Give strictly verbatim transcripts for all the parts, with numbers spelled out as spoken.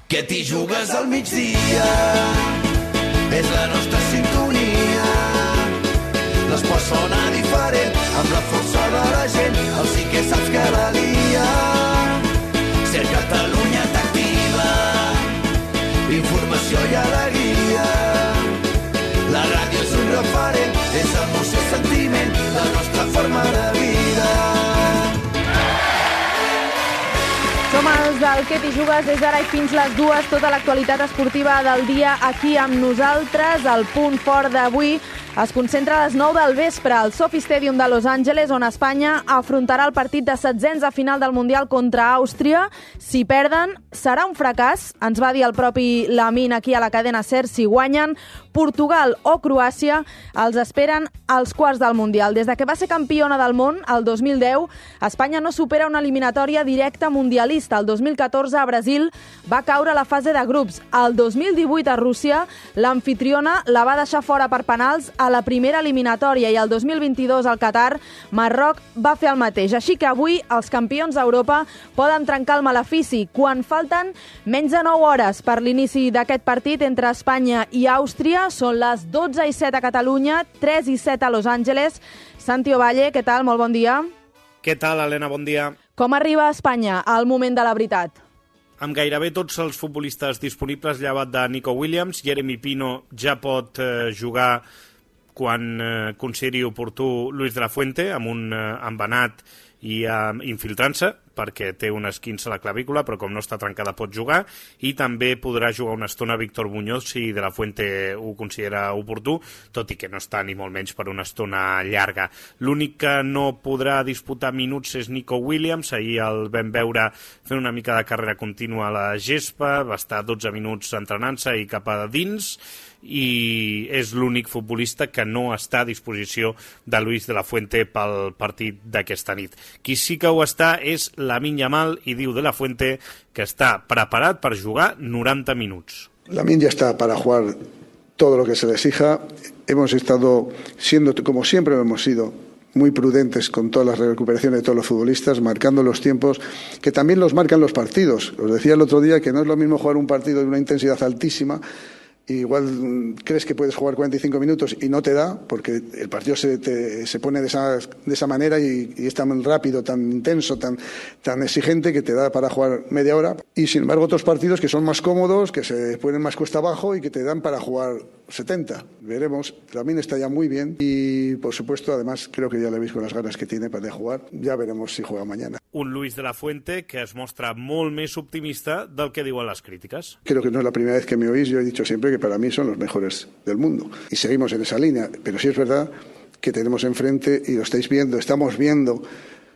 que t'hi jugues al migdia, és la nostra sintonia. L'esport sona diferent, amb la força de la gent, el sí que saps que la lia. Ser Catalunya t'activa, informació i alegria. La ràdio és un referent, és emoció i sentiment, la nostra forma de vida. Som els del Que t'hi jugues des d'ara i fins les dues, tota l'actualitat esportiva del dia aquí amb nosaltres. El punt fort d'avui es concentra a les nou del vespre al SoFi Stadium de Los Angeles, on Espanya afrontarà el partit de setzents a final del Mundial contra Àustria. Si perden, serà un fracàs, ens va dir el propi Lamine aquí a la cadena SER. Si guanyen, Portugal o Croàcia els esperen als quarts del Mundial. Des de que va ser campiona del món, el dos mil deu, Espanya no supera una eliminatòria directa mundialista. El dos mil catorze, a Brasil, va caure a la fase de grups. El dos mil divuit, a Rússia, l'amfitriona la va deixar fora per penals a la primera eliminatòria, i el dos mil vint-i-dos, al Qatar, Marroc va fer el mateix. Així que avui els campions d'Europa poden trencar el malefici quan falten menys de nou hores per l'inici d'aquest partit entre Espanya i Àustria. Són les dotze i set a Catalunya, tres i set a Los Angeles. Santi Ovalle, què tal? Molt bon dia. Què tal, Helena? Bon dia. Com arriba a Espanya al moment de la veritat? Amb gairebé tots els futbolistes disponibles, llevat de Nico Williams, Jeremy Pino ja pot eh, jugar quan eh, consideri oportú Luis de la Fuente, amb un eh, embenat i eh, infiltrant-se, perquè té un esquinç a la clavícula, però com no està trencada pot jugar, i també podrà jugar una estona Víctor Muñoz si de la Fuente ho considera oportú, tot i que no està ni molt menys per una estona llarga. L'únic que no podrà disputar minuts és Nico Williams. Ahir el vam veure fent una mica de carrera contínua a la gespa, va estar dotze minuts entrenant-se i cap a dins, i és l'únic futbolista que no està a disposició de Luis de la Fuente pel partit d'aquesta nit. Qui sí que ho està és Lamine Yamal, i diu de la Fuente que està preparat per jugar noranta minuts. Lamine ya está para jugar todo lo que se le exija. Hemos estado siendo, como siempre hemos sido, muy prudentes con todas las recuperaciones de todos los futbolistas, marcando los tiempos que también los marcan los partidos. Os decía el otro día que no es lo mismo jugar un partido de una intensidad altísima. Igual crees que puedes jugar cuarenta y cinco minutos y no te da, porque el partido se, te, se pone de esa, de esa manera y, y es tan rápido, tan intenso, tan, tan exigente que te da para jugar media hora. Y sin embargo otros partidos que son más cómodos, que se ponen más cuesta abajo y que te dan para jugar setenta. Veremos. También está ya muy bien y por supuesto además creo que ya le veis con las ganas que tiene para jugar. Ya veremos si juega mañana. Un Luis de la Fuente que es mostra molt més optimista del que diuen les crítiques. Creo que no es la primera vez que me oís. Yo he dicho siempre que para mí son los mejores del mundo. Y seguimos en esa línea. Pero sí es verdad que tenemos enfrente, y lo estáis viendo, estamos viendo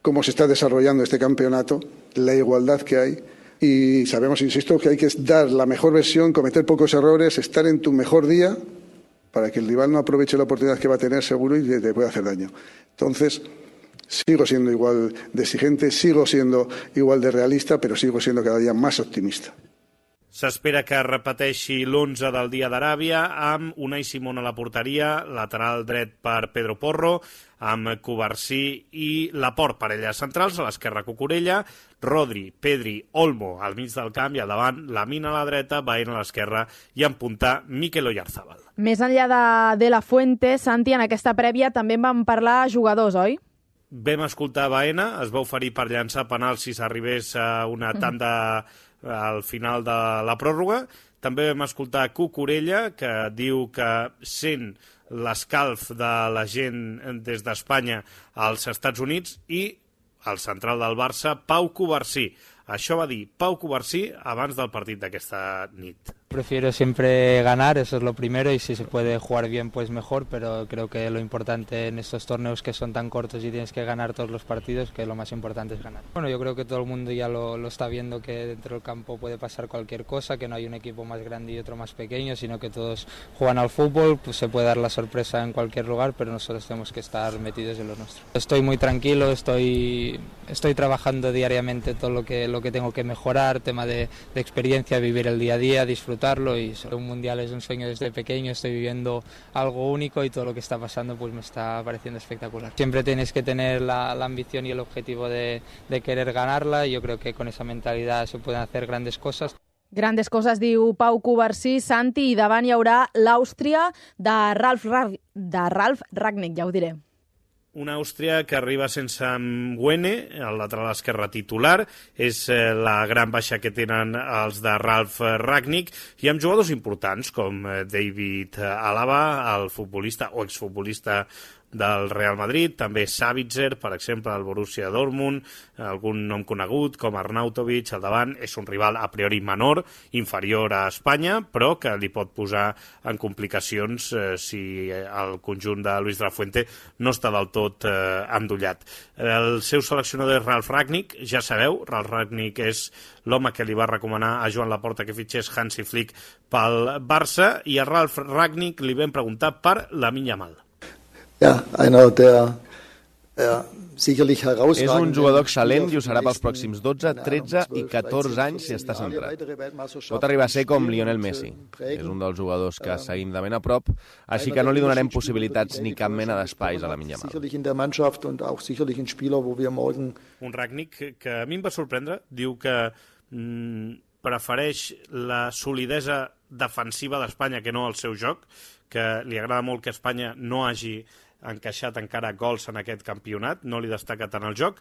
cómo se está desarrollando este campeonato, la igualdad que hay. Y sabemos, insisto, que hay que dar la mejor versión, cometer pocos errores, estar en tu mejor día para que el rival no aproveche la oportunidad que va a tener seguro y te pueda hacer daño. Entonces, sigo siendo igual de exigente, sigo siendo igual de realista, pero sigo siendo cada día más optimista. S'espera que repeteixi l'onze del dia d'Aràbia amb Unai Simón a la porteria, lateral dret per Pedro Porro, amb Cubarsí i Laporte, parelles centrals, a l'esquerra Cucurella, Rodri, Pedri, Olmo al mig del camp, i al davant Lamine a la dreta, Baena a l'esquerra i en punta Mikel Oyarzabal. Més enllà de, de la Fuente, Santi, en aquesta prèvia també en vam parlar jugadors, oi? Vam escoltar Baena, es va oferir per llançar penal si s'arribés a una tanda al final de la pròrroga. També vam escoltar Cucurella, que diu que sent l'escalf de la gent des d'Espanya als Estats Units, i el central del Barça, Pau Cubarsí. Això va dir Pau Cubarsí abans del partit d'aquesta nit. Prefiero siempre ganar, eso es lo primero, y si se puede jugar bien pues mejor, pero creo que lo importante en estos torneos que son tan cortos y tienes que ganar todos los partidos, que lo más importante es ganar. Bueno, yo creo que todo el mundo ya lo, lo está viendo, que dentro del campo puede pasar cualquier cosa, que no hay un equipo más grande y otro más pequeño, sino que todos juegan al fútbol, pues se puede dar la sorpresa en cualquier lugar, pero nosotros tenemos que estar metidos en lo nuestro. Estoy muy tranquilo, estoy, estoy trabajando diariamente todo lo que, lo que tengo que mejorar, tema de, de experiencia, vivir el día a día, disfrutar. Y un mundial es un sueño desde pequeño, estoy viviendo algo único y todo lo que está pasando pues me está pareciendo espectacular. Siempre tienes que tener la, la ambición y el objetivo de, de querer ganarla, y yo creo que con esa mentalidad se pueden hacer grandes cosas. Grandes coses, diu Pau Covarsí. Santi, i davant hi haurà l'Àustria de Ralf, Rag... de Ralf Rangnick, ja ho diré. Una Àustria que arriba sense Mwene, el lateral esquerre titular, és la gran baixa que tenen els de Ralf Rangnick, i amb jugadors importants com David Alaba, el futbolista o exfutbolista del Real Madrid, també Savitzer, per exemple, del Borussia Dortmund, algun nom conegut com Arnautovic al davant. És un rival a priori menor, inferior a Espanya, però que li pot posar en complicacions eh, si el conjunt de Luis de la Fuente no està del tot eh, endollat. El seu seleccionador és Ralf Rangnick, ja sabeu, Ralf Rangnick és l'home que li va recomanar a Joan Laporta que fitxés Hansi Flick pel Barça, i a Ralf Rangnick li vam preguntar per Lamine Yamal. Ja, einer der ja, sicherlich herausragend. És un jugador excel·lent i ho serà pels pròxims dotze, tretze i catorze anys si està centrat. Pot arribar a ser com Lionel Messi. És un dels jugadors que seguim de ben a prop, així que no li donarem possibilitats ni cap mena d'espais a Lamine Yamal. Un Rangnick que a mi em va sorprendre, diu que mm, prefereix la solidesa defensiva d'Espanya que no el seu joc, que li agrada molt que Espanya no hagi encaixat encara gols en aquest campionat, no li destaca tant el joc,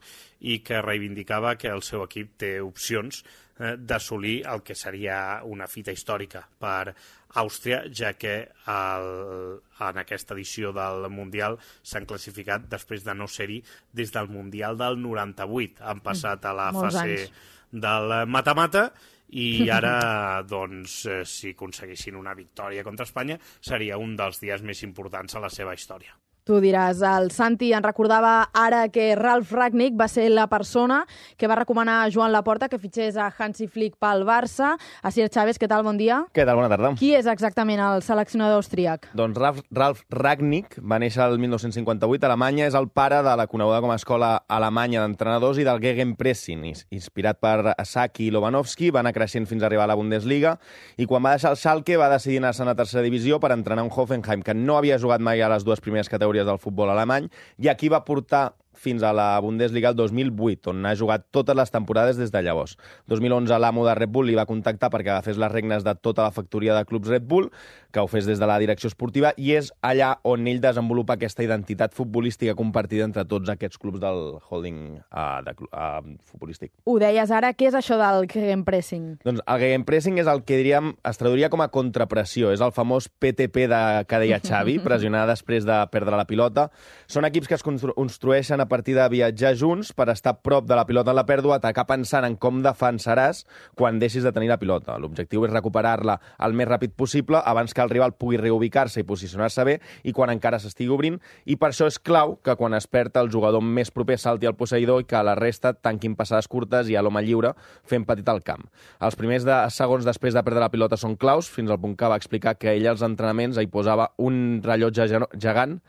i que reivindicava que el seu equip té opcions eh, d'assolir el que seria una fita històrica per Àustria, ja que el, en aquesta edició del Mundial s'han classificat després de no ser-hi des del Mundial del noranta-vuit. Han passat a la Molts fase anys. del mata-mata, i ara, doncs, eh, si aconseguissin una victòria contra Espanya, seria un dels dies més importants a la seva història. Tu diràs, el Santi en recordava ara que Ralf Rangnick va ser la persona que va recomanar a Joan Laporta que fitxés a Hansi Flick pel Barça. Asier Chávez, què tal? Bon dia. Què tal? Bona tarda. Qui és exactament el seleccionador austríac? Doncs Ralf, Ralf Rangnick va néixer el mil nou-cents cinquanta-vuit a Alemanya, és el pare de la coneguda com a escola alemanya d'entrenadors i del Gegenpressing. Inspirat per Saki i Lobanovski, va anar creixent fins a arribar a la Bundesliga, i quan va deixar el Schalke va decidir anar-se'n a tercera divisió per entrenar un Hoffenheim que no havia jugat mai a les dues primeres categories del futbol alemany, i aquí va portar fins a la Bundesliga el dos mil vuit, on ha jugat totes les temporades des de llavors. dos mil onze l'amo de Red Bull li va contactar perquè agafés les regnes de tota la factoria de clubs Red Bull, que ho fes des de la direcció esportiva, i és allà on ell desenvolupa aquesta identitat futbolística compartida entre tots aquests clubs del holding uh, de, uh, futbolístic. Ho deies ara, què és això del Gegenpressing? Doncs el Gegenpressing és el que diríem, es traduiria com a contrapressió, és el famós P T P de, que deia Xavi, pressionar després de perdre la pilota. Són equips que es constru construeixen a partir de viatjar junts per estar a prop de la pilota en la pèrdua, atacar pensant en com defensaràs quan deixis de tenir la pilota. L'objectiu és recuperar-la el més ràpid possible abans que el rival pugui reubicar-se i posicionar-se bé i quan encara s'estigui obrint, i per això és clau que quan es perd el jugador més proper salti al posseïdor i que la resta tanquin passades curtes i a l'home lliure fent petit al camp. Els primers de segons després de perdre la pilota són claus, fins al punt que va explicar que ell als entrenaments hi posava un rellotge gegant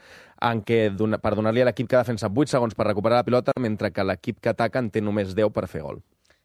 en què, per donar-li a l'equip que defensa vuit segons per recuperar la pilota, mentre que l'equip que ataca en té només deu per fer gol.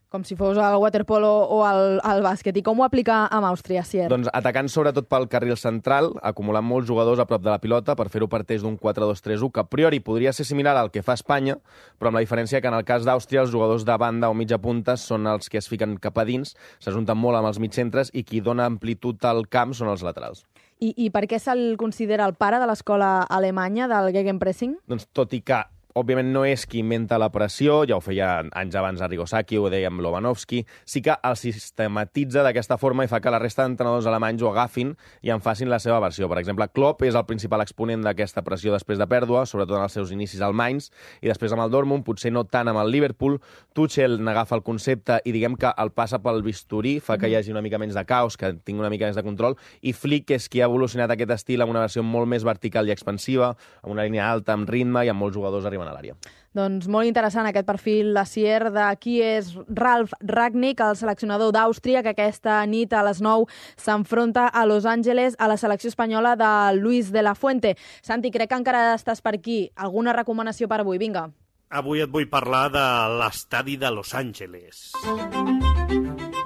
Com si fos el waterpolo o el, el bàsquet. I com ho aplica amb Àustria, Sier? Doncs atacant sobretot pel carril central, acumulant molts jugadors a prop de la pilota per fer-ho parteix d'un quatre dos tres u, que a priori podria ser similar al que fa Espanya, però amb la diferència que en el cas d'Àustria els jugadors de banda o mitja punta són els que es fiquen cap a dins, s'ajunten molt amb els mitjcentres, i qui dona amplitud al camp són els laterals. I, i per què se'l considera el pare de l'escola alemanya del Gegenpressing? Doncs tot i que òbviament no és qui inventa la pressió, ja ho feia anys abans Arrigo Sacchi, ho deia amb Lobanovski, sí que el sistematitza d'aquesta forma i fa que la resta d'entrenadors alemanys ho agafin i en facin la seva versió. Per exemple, Klopp és el principal exponent d'aquesta pressió després de pèrdua, sobretot en els seus inicis al Mainz, i després amb el Dortmund, potser no tant amb el Liverpool. Tuchel n'agafa el concepte i diguem que el passa pel bisturí, fa que hi hagi una mica menys de caos, que tingui una mica més de control, i Flick és qui ha evolucionat aquest estil amb una versió molt més vertical i expansiva, amb una línia alta, amb ritme i amb molts jugadors arribant a l'àrea. Doncs molt interessant aquest perfil, la Sier, de qui és Ralf Rangnick, el seleccionador d'Àustria, que aquesta nit a les nou s'enfronta a Los Angeles a la selecció espanyola de Luis de la Fuente. Santi, crec que encara estàs per aquí. Alguna recomanació per avui? Vinga. Avui et vull parlar de l'estadi de Los Angeles.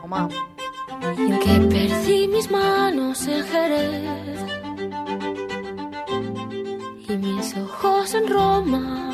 Home. En que perdí mis manos en Jerez y mis ojos en Roma.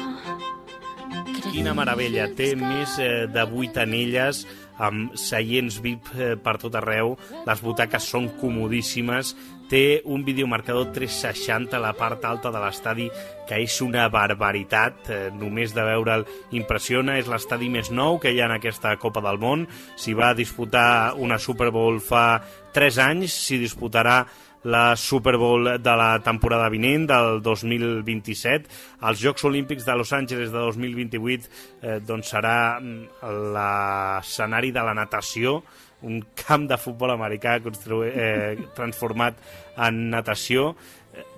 Quina meravella, té més eh, de vuit anelles amb seients V I P per tot arreu, les butaques són comodíssimes, té un videomarcador tres seixanta a la part alta de l'estadi, que és una barbaritat, eh, només de veure'l impressiona. És l'estadi més nou que hi ha en aquesta Copa del Món. S'hi va disputar una Super Bowl fa tres anys, s'hi disputarà la Super Bowl de la temporada vinent, del dos mil vint-i-set. Els Jocs Olímpics de Los Angeles de dos mil vint-i-vuit eh, doncs serà l'escenari de la natació, un camp de futbol americà eh, transformat en natació.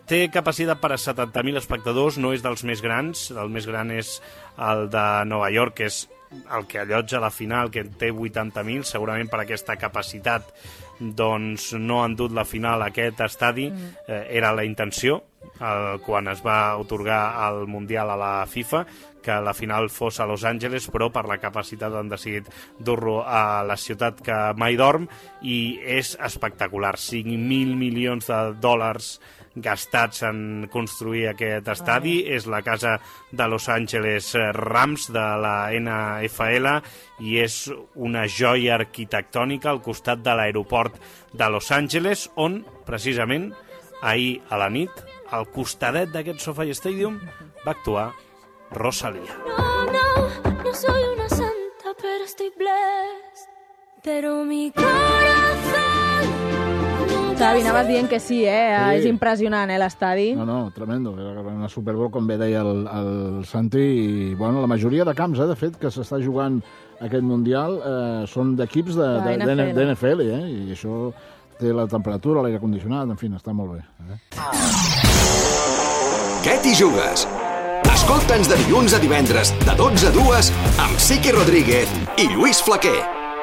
Té capacitat per a setanta mil espectadors, no és dels més grans, el més gran és el de Nova York, que és el que allotja la final, que té vuitanta mil, segurament per aquesta capacitat doncs no han dut la final a aquest estadi, eh, era la intenció, el, quan es va otorgar el Mundial a la FIFA, que la final fos a Los Angeles, però per la capacitat han decidit dur-lo a la ciutat que mai dorm, i és espectacular. cinc mil milions de dòlars gastats en construir aquest estadi. És la casa de Los Angeles Rams de la N F L i és una joia arquitectònica al costat de l'aeroport de Los Angeles, on precisament ahir a la nit, al costadet d'aquest SoFi Stadium, va actuar Rosalía. No, no, no soy una santa, pero estoy blessed. Pero mi corazón... Xavi, anaves dient que sí, eh? Sí. És impressionant, eh, l'estadi. No, no, tremendo. Era una Super Bowl, com bé deia el, el Santi, i bueno, la majoria de camps, eh, de fet, que s'està jugant aquest Mundial eh, són d'equips de, de, de, de, de N F L, eh? I això té la temperatura, l'aire condicionat, en fi, està molt bé. Eh? Què t'hi jugues? Escolta'ns de dilluns a divendres, de dotze a dues, amb Siqui Rodríguez i Lluís Flaquer.